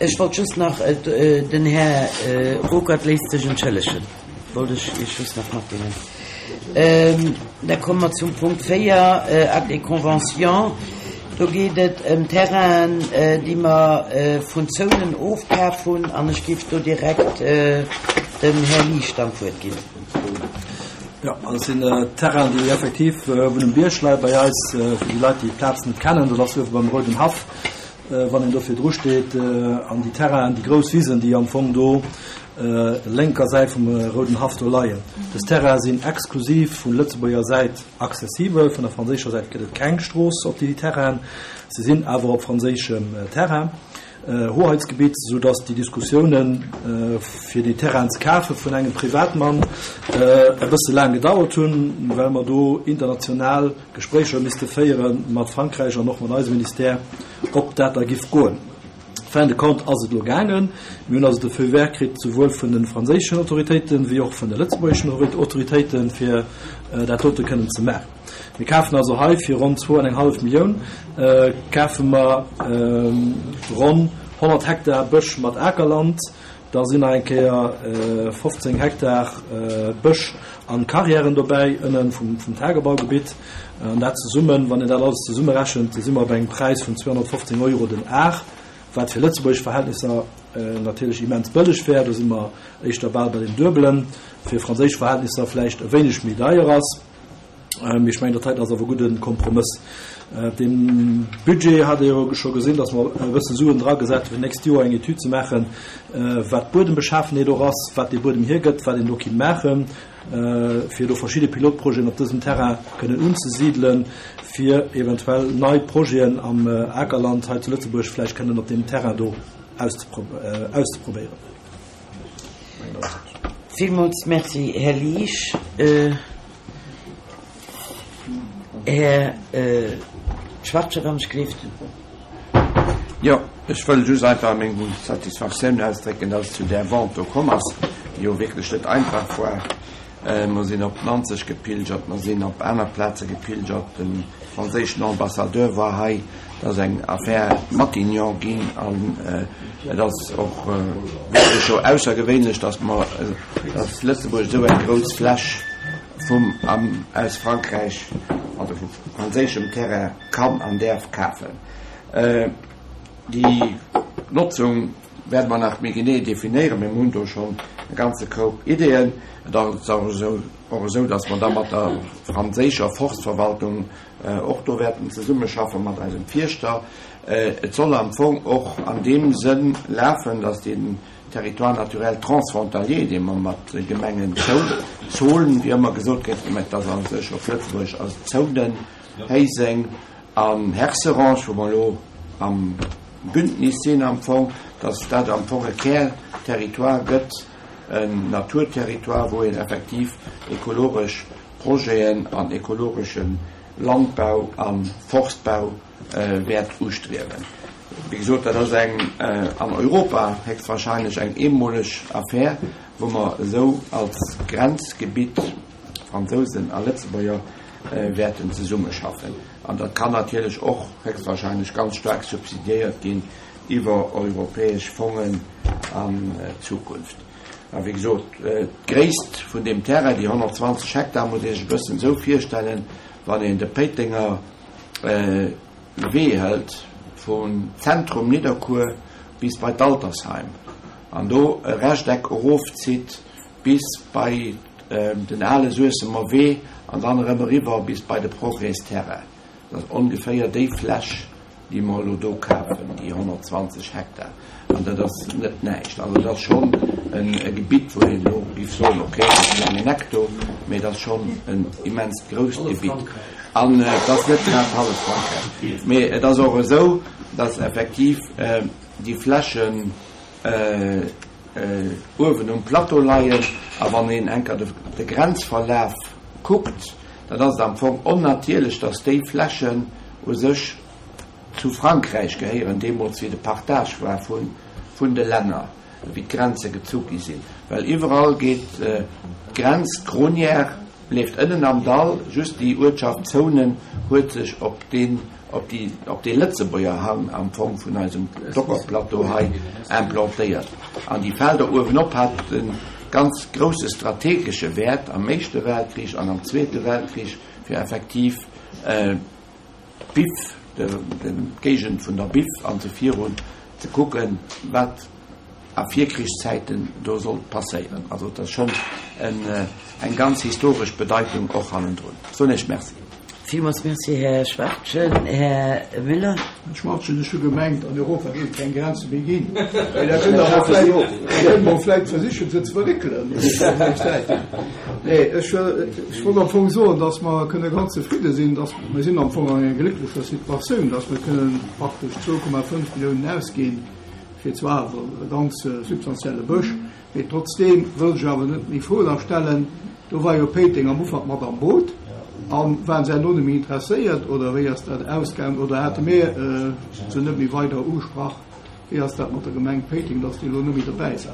Ech wollt just nach, den Här Ruckert léisst sech entschëllegen, wollt ech Iech just nach matdeelen. Da komme mer zum Punkt 4, Acte et conventions. Do geet et ëm Terrainen, déi mer vun Zounen ofkaf hunn, an ech géif do direkt dem Här Liesch dann d'Wuert ginn. Jo, also et sinn Terrainen, déi effektiv uewen um Bierg leie bei eis. Fir déi Leit, déi d'Plaz net kennen, dat ass uewe beim Rouden Haff, wann een do virdru steet. An déi Terrainen, déi grouss Wisen, déi am Fong do lénker Säit vum Rouden Haff do leien. Dës Terraine sinn exklusiv vun Lëtzebuerger Säit accessibel. Vun der franséischer Säit gëtt et keng Strooss op déi Terrainen. Se sinn awer op franséischem Terrain, Hoheitsgebitt, sou datt déi Diskussiounen, fir déi Terrainen ze kafe vun engem Privatmann, e bësse laang gedauert hunn, well mer do international Gespréicher misste féiere mat Frankräich an och mat eisem Ministère, ob dat da giff goen. Fin de compte ass et elo gaangen. Mir hunn also de Feu vert kritt, souwuel vun de franséischen Autoritéiten, wéi och vun de lëtzebuergeschen Autoritéiten, fir dat dote kënnen ze maachen. Mir kafen also hei fir ronn zwou an eng hallef Millioun kafe mer ronn 100 Hektar Bësch mat Akerland. Da sinn nach eng Kéier 15 Hektar Bësch an Carrièren dobäi, ënne vum Tagebaugebitt. An dat zesummen, wann een dat alles zesummerechent, si mer op engem Präis vun 215 Euro den Ar, wat fir lëtzebuergesch Verhältnisser natierlech immens bëlleg wär. Do si mer éischter bal bei deem Duebelen, fir franséisch Verhältnisser vläicht e wéineg méi deier ass. Mee ech mengen, dat heiten ass awer e gudde Kompromëss. Dee Budget hat Dir jo scho gesinn, datt mer e bësse Suen dragesat hu fir d'nächst Joer eng Etüd ze maachen, wat d'Buedembeschaafenheet och ass, wat dee Buedem hiergëtt, wat een do kinnt maachen, fir do verschidde Pilotprojeten op dësem Terrain kënnen unzesidelen, fir eventuell nei Projeten am Akerland hei zu Lëtzebuerg vläicht kënnen op deem Terrain do auszeprobéieren. Villmools Merci, Här Liesch. Här Schwachtgen, wann ech gleeft. Jo, ech wëll just einfach meng Satisfaktioun ausdrécken, dass et zu där Vente do komm ass, déi jo wierklech net einfach war. Mer sinn op Nanzeg gepilgert, mer sinn op aner Plaze gepilgert, de franséischen Ambassadeur war hei. Et ass eng Affaire Matignon ginn an et ass och wierklech jo aussergewéinlech, dass mer, dass Lëtzebuerg esou eng grouss Fläch vum am aus Frankräich, also vu franséischem Terrain kann an däerf kafen. Déi Notzung wäerte mer nach méi genee definéieren, mee mer hunn do schonn e ganze Koup Ideeën. Et ass och esou, dass mer da mat der franséischer Forstverwaltung och do wäerten zesummeschaffe mat eisem Fierschter. Et soll am Fong och an deem Sënn lafen, dass deen Territoire naturel transfrontalier, dee mer mat de Gemengen Zon, wéi ëmmer gesot gëtt, mä et ass a sech op Lëtzebuergesch ass et Zounen, Héiseng an Herserange, wou mer elo am Bündnis sinn am Fong, dass dat am Fong e Kärterritoire gëtt, en Naturterritoire, wou een effektiv ekologesch Projeten an ekologesche Landbau a Forstbau wäert ustriewen. Wéi gesot, dat ass eng an Europa héchstwahrscheinlech eng eemoleg Affär, wou mer esou als Grenzgebitt, Fransousen a Lëtzebuerger, wäerten zesummeschaffen. An dat kann natierlech och héchstwahrscheinlech ganz staark subsidiéiert ginn iwwer europäesch Fongen an Zukunft. A wéi gesot, d'Gréisst vun deem Terrain, déi 120 Hektar, muss ee sech e bëssen esou virstellen, wann een de Péitenger Wee hëlt vum Zentrum Nidderkuer bis bei d'Altersheim an do e Rechteck erofzitt bis bei den ale Suessemer Wee an dann erëm eriwwer bis bei de Progrès-Terrain. Dat ass ongeféier déi Fläch, déi mer elo do kafen, déi 120 Hektar. An dat ass net näischt. Also et ass schonn e Gebitt, wou een elo géif soen, okay, dat ass klengen Hekto, mee et ass schonn en immenst grousst Gebitt. An et ass net grad hallef Frankräich. Mee et ass och esou, datt effektiv déi Flächen uewen um Plateau leien. A wann een enker de Grenzverlaf kuckt, dann ass et am Fong onnatierlech, datt déi Flächen u sech zu Frankräich gehéieren, deemools wéi de Partage war vun de Länner, wéi d'Grenze gezu gi sinn. Well iwwerall geet d'Grenz, d'Gronière leeft ënnen am Dall, just déi Uertschaft Zounen huet sech op deen, op déi, op dee Lëtzebuerger Hang am Fong vun eisem Dockerplateau hei implantéiert. An déi Felder uewenop haten ganz grousse strategesche Wäert am Éischte Weltkrich an am Zweete Weltkrich, fir effektiv d'Biff, d'Géigend vun der Biff an esou virun ze kucken, wat a Virkrichszäiten do sollt passéieren. Also et ass schonn eng ganz historesch Bedeitung och hannendrun. Soen Iech Merci. Villmools Merci, Här Schwachtgen. Här Müller. Här Schwachtgen, ech hu gemengt, an Europa géif et keng Grenze méi ginn. Mä da kënnt Der awer vläicht, da kënne mer vläicht versichen, se ze verréckelen op déi Säit. Nee, ech, ech wollt am Fong soen, dass mer kënne ganz zefridde sinn, dass, mir sinn am Fong an enger glécklecher Situatioun, dass mer kënnen praktesch 2,5 Milliounen ausginn, fir zwar awer e ganz substantielle Bësch, mee trotzdeem wëll ech awer net méi Fro da stellen, do war jo Péiteng am Ufank mat am Boot, a waren se herno net méi interesséiert oder wéi ass dat ausgaangen oder hate mir se net méi weider ugesprach? Wéi ass dat mat der Gemeng Péiteng, datt déi elo net méi dobäi sinn?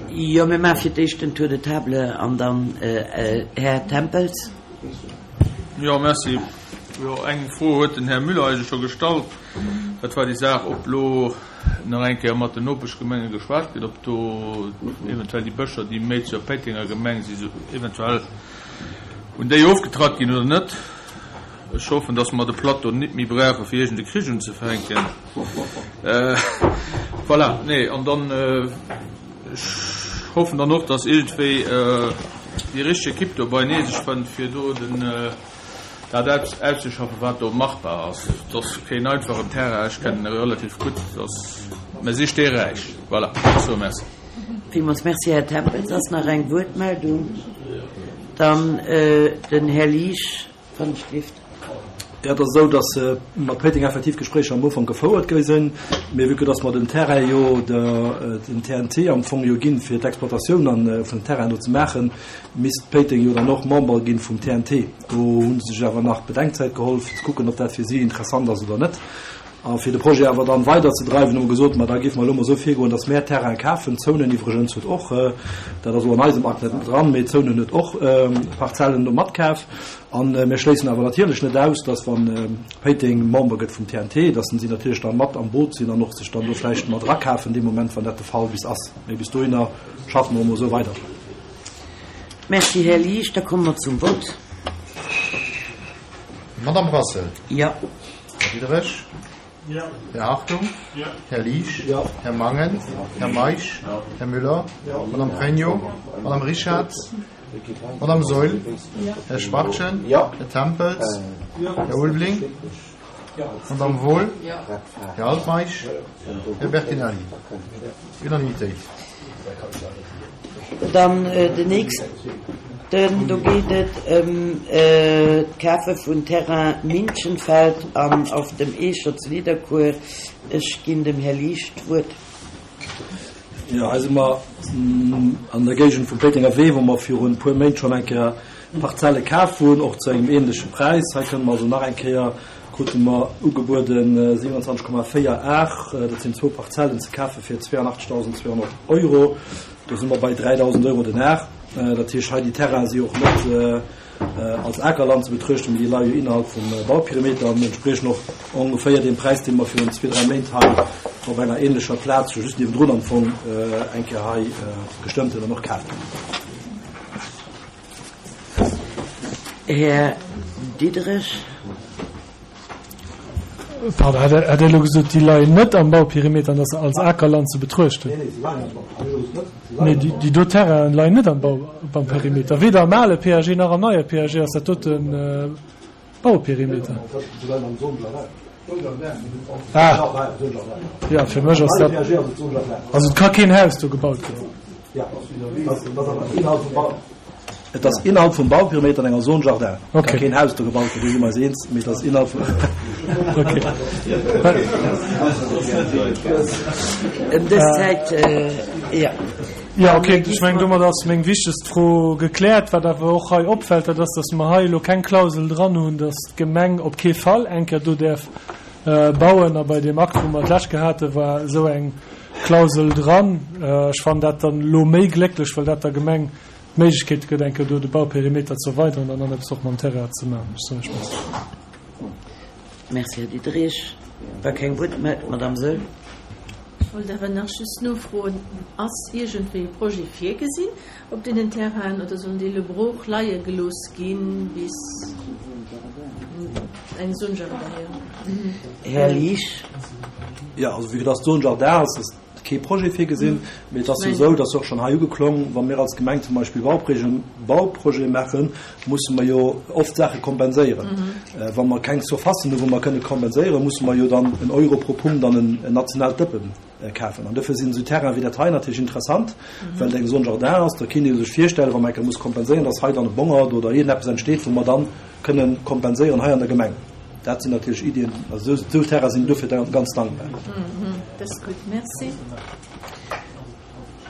Jo, mir maache fir d'éischt den Tour de table an dann Här Tempels. Jo, merci. Jo, eng Fro huet den Här Müller eigentlech scho gestallt. Dat war déi Saach, ob elo nach eng Kéier mat den Nopeschgemenge geschwat gëtt, ob do eventuell déi Bëscher, déi méi zur Péitenger Gemeng si, eventuell un déi ofgetratt ginn oder net. Ech hoffen, datt mer de Plateau nit méi brauche fir iergend e Krich unzefänken. Voilà, nee, an dann, ech hoffen dann och, datt iergendwéi déi richteg Ekipp do beinee sech fënnt, fir do den, Dat auszeschaffen, wat do machbar ass, et ass keen einfachen Terrain, ech kennen e relativ gutt, mä si steeräich. Voilà, ech soe Merci. Villmools Merci, Här Tempels. Ass nach eng Wuertmeldung? Dann den Här Liesch, wann ech dierft. Jo, et ass esou, datt mat Péiteng effektiv Gespréicher am Ufank gefouert gi sinn, mee vue que datt mer den Terrain jo dem TNT am Fong jo ginn, fir d'Exploitatioun vun dem Terrain do ze maachen, misst Péiteng jo dann och Member ginn vum TNT. Do hu se sech awer nach Bedenkzäit geholl, fir ze kucken, ob dat fir si interessant ass oder net. A fir de Projet awer dann weider ze dreiwen, hu mer gesot, ma da géife mer elo mol esou virgoen, datt mär Terrain kafen. Zounen iwwregens huet och, dat ass elo an eisem Akt net dran, mee Zounen huet och Parzellen do matkaf. A mir schléissen awer natierlech net aus, datt wa Péiteng Member gëtt vum TNT, datt si natierlech da mat am Boot sinn an och sech dann do vläicht mat erakafen dee Moment, wann dat de Fall bis ass. Mee bis dohinner schaffe mer emol esou weider. Merci, Här Liesch. Da komme mer zum Vott. Madamm Brassel. Jo. Här Diderich. Jo. Här Hartung. Jo. Här Liesch. Jo. Här Mangen. Här Meisch. Här Müller. Madamm Pregno. Madamm Richarz. Madamm Saeul. Här Schwachtgen. Jo. Här Tempels. Jo. Här Ulveling. Madamm Wohl. Här Altmeisch. Här Bertinelli. Unanimitéit. Dann den nächsten, do geet et ëm d'Kafe vun Terrain Minchenfeld an Auf dem Eecher zu Nidderkuer. Ech ginn dem Här Liesch d'Wuert. Jo, hei si mer an der Géigend vum Péitenger Wee, wou mer virun e puer Méint schonn eng Kéier Parzelle kaf hunn, och zu engem ähnleche Präis. Hei kënne mer also nach eng Kéier, krute mer ugebueden 27,4 Ar, dat sinn zwou Parzellen, ze kafe fir 82.200 Euro. Do si mer bei 3.000 Euro den Ar. Dat heescht, hei déi Terrainen si och net als Akerland ze betruechten, mee déi leie jo innerhalb vum Bauperimeter an entspriechen och ongeféier deem Präis, dee mer virun zwee, dräi Méint hei op enger ähnlecher Plaz, jo just niewendrun am Fong, eng Kéier hei gestëmmt hunn an och kaf hunn. Här Diderich. Pardon, hat Der elo gesot, déi leien net am Bauperimeter an dass se als Akerland ze betruechten? Nee, déi do Terrainen leien net am Bauperimeter. Weder am ale PAG nach am neie PAG ass dat doten Bauperimeter. Ah, jo, fir mech ass dat, also et ka keen Haus do gebaut ginn. Et ass innerhalb vum Bauperimeter an enger Zone Jardin. Et ka keen Haus do gebaut ginn, do si mer eis eens, mee et ass innerhalb vum. Ëm dës Zäit, jo. Jo, okay, ech mengen, domat ass meng wichtegst Fro gekläert. Wat awer och hei opfält, dat ass, datt mer hei elo keng Klausel dran hunn, datt d'Gemeng op kee Fall eng Kéier do däerf bauen. A bei deem Akt, wou mer d'lescht Kéier haten, war esou eng Klausel dran. Ech fannen dat dann elo méi glécklech, well dat der Gemeng d'Méiglechkeet gëtt, eng Kéier do de Bauperimeter ze erweideren an dann eppes och mam Terrain ze maachen. Ech soen Iech Merci. Merci, Här Diderich. War keng Wuertmeldung. Madamm Saeul. Ech wollt awer nach just nofroen, Ass iergendwéi e Projet virgesinn op deenen Terrainen oder sollen déi elo brooch leie gelooss ginn bis eng Zone jardin, jo. Här Liesch. Jo, also vue que dass d'Zone jardin ass, ass kee Projet virgesinn. Mee et ass jo esou, dass och schonn hei ugeklong, wa mir als Gemeng zum Beispill Bauprojete maachen, musse mer jo oft Saache kompenséieren. Wa mer keng Surfacen hunn, wou mer kënne kompenséieren, musse mer jo dann en Euro pro Punkt an en nationaalt Dëppe kafen. An dofir sinn esou Terrainen wéi dat hei natierlech interessant, well et eng Zone jardin ass. Da kéint ee sech virstellen, wa mer eng Kéier muss kompenséieren, dass hei dann e Bongert oder iergendeppes entsteet, wou mer dann kënne kompenséieren hei an der Gemeng. Dat sinn natierlech Iddien, also esou Terrainen sinn dofir ganz dankbar. Dat ass gutt, merci.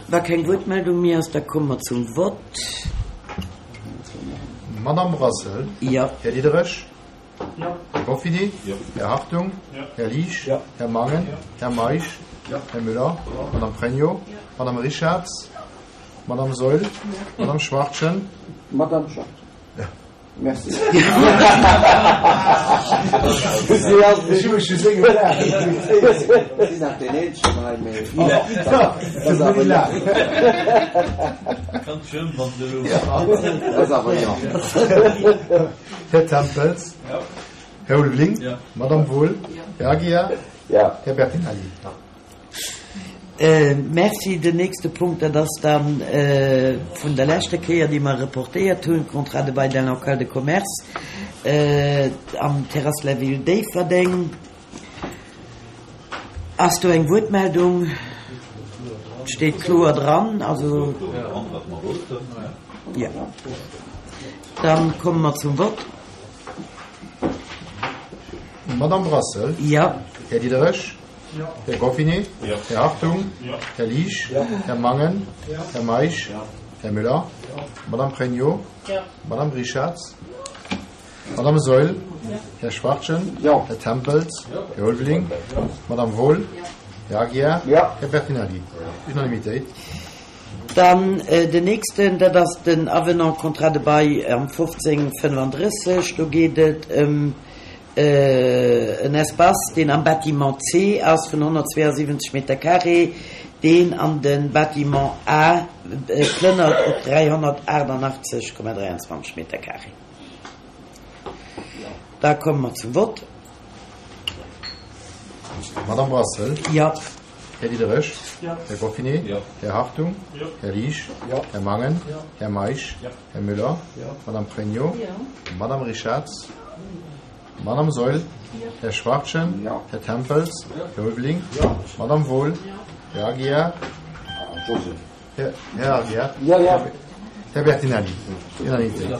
Wa keng Wuertmeldung méi ass, da komme mer zum Vott. Madamm Brassel? Jo. Här Diderich? Jo. Här Goffini? Jo. Här Hartung? Jo. Här Liesch? Jo. Här Mangen? Jo. Här Meisch? Jo. Här Müller? Jo. Madamm Pregno? Jo. Madamm Richarz? Madamm Saeul? Jo. Madamm Schwachtgen? Madamm Schwachtgen. Jo. Merci. Här Tempels, Här Ulveling, Madamm Wohl, Här Aguiar, Här Bertinelli. Merci. Den nächste Punkt, dat ass da vun der leschter Kéier, déi mer reportéiert hunn, Contrat de bail d'un local de commerce am Terrasse la Ville Déifferdeng. Ass do eng Wuertmeldung? Et steet kloer dran. Also, jo. Dann komme mer zum Vott. Madamm Brassel? Jo. Här Diderich? Här Goffinet? Här Hartung? Här Liesch? Här Mangen? Här Meisch? Här Müller? Madamm Pregno? Madamm Richarz? Madamm Saeul? Här Schwachtgen? Här Tempels? Här Ulveling? Madamm Wohl? Här Aguiar? Här Bertinelli? Unanimitéit. Dann den nächsten, dat ass den Avenant Contrat de bail am 1535. Do geet et ëm En Espace, deen am Bâtiment C ass, vun 172 Meter carré, deen an de Bâtiment A plënnert op 388,23 Meter carré. Da komme mer zum Vott. Madame Brassel? Jo. Här Diderich? Jo. Här Goffinet? Jo. Här Hartung? Jo. Här Liesch? Jo. Här Mangen? Jo. Här Meisch? Jo. Här Müller? Jo. Madame Pregno? Jo. Madame Richarz? Madame Saeul? Jo. Här Schwachtgen? Jo. Här Tempels? Jo. Här Ulveling? Jo. Madame Wohl? Jo. Här Aguiar? Joseph. Här, Här Aguiar? Jo, jo. Här Bertinelli? Unanimitéit.